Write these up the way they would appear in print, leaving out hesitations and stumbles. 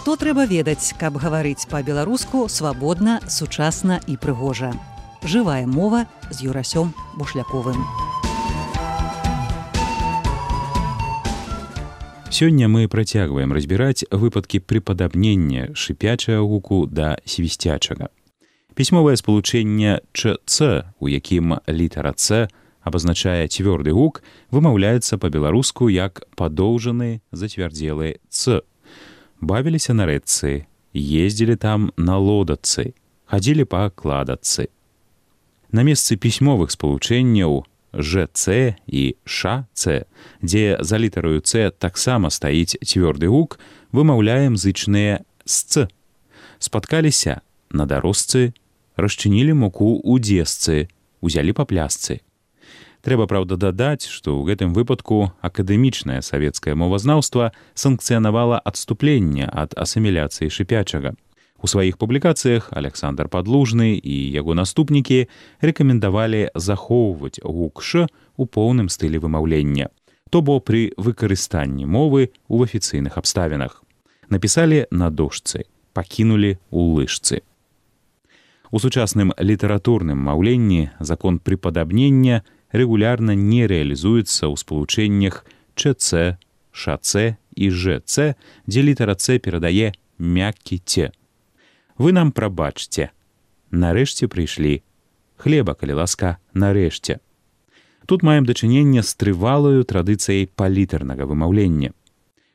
Што трэба ведаць, каб гаварыць па-беларуску свабодна, сучасна і прыгожа. Жывая мова з Юрасём Бушляковым. Сёння мы працягваем разбіраць выпадкі прыпадабнення шыпячага гуку да свісцячага. Пісьмовае спалучэнне «ч-ц», у якім літара «ц» абазначае цвёрды гук, вымаўляецца па-беларуску як падоўжаны зацвярдзелы «ц». Бавіліся на рэчцы, ездзілі там на лодачцы, хадзілі па кладачцы. На месцы пісьмовых спалучэнняў «ж-ц» і «ш-ц», дзе за літараю «ц» таксама стаіць цвёрды гук, вымаўляем зычныя «сц». Спаткаліся на дарожцы, расчынілі муку ў дзесцы, узялі па плясцы. Трэба, праўда, дадаць, што ў гэтым выпадку акадэмічнае савецкае мовазнаўства санкцыянавала адступленне ад асіміляцыі шыпячага. У сваіх публікацыях Аляксандр Падлужны і яго наступнікі рэкамендавалі захоўваць гук «ш» у поўным стылі вымаўлення, то бо пры выкарыстанні мовы ў афіцыйных абставінах. Напісалі на дошцы, пакінулі ў лыжцы. У сучасным літаратурным маўленні закон прыпадабнення рэгулярна не рэалізуецца ў спалучэннях «ч-ц», «ш-ц» і «ж-ц», дзе літара «ц» перадае мяккі «ц». Вы нам прабачце. Нарэшце прыйшлі. Хлеба, калі ласка, нарэшце. Тут маем дачыненне з трывалаю традыцыяй палітарнага вымаўлення.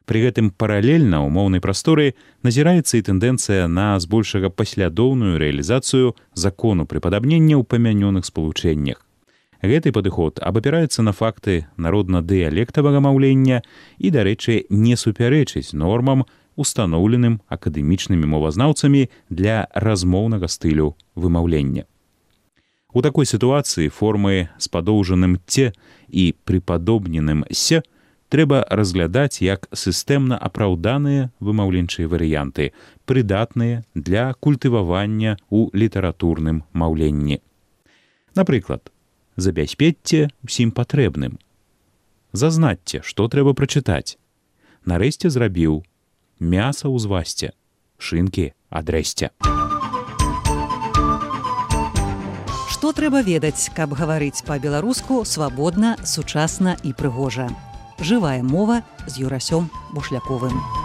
Пры гэтым паралельна ў моўнай прасторы назіраецца і тэндэнцыя на збольшага паслядоўную рэалізацыю закону прыпадабнення ў памянёных спалучэннях. Гэты падыход абапіраецца на факты народна-дыялектавага маўлення і, дарэчы, не супярэчыць нормам, устаноўленым акадэмічнымі мовазнаўцамі для размоўнага стылю вымаўлення. У такой сітуацыі формы з падоўжаным «ц» і прыпадобненым «с» трэба разглядаць як сістэмна апраўданыя вымаўленчыя варыянты, прыдатныя для культывавання ў літаратурным маўленні. Напрыклад, забяспечце ўсім патрэбным. Зазнацце, што трэба прачытаць. Нарэшце зрабіў. Мяса ўзвасце. Шынкі адрэсце. Што трэба ведаць, каб гаварыць па-беларуску свабодна, сучасна і прыгожа. Жывая мова з Юрасём Бушляковым.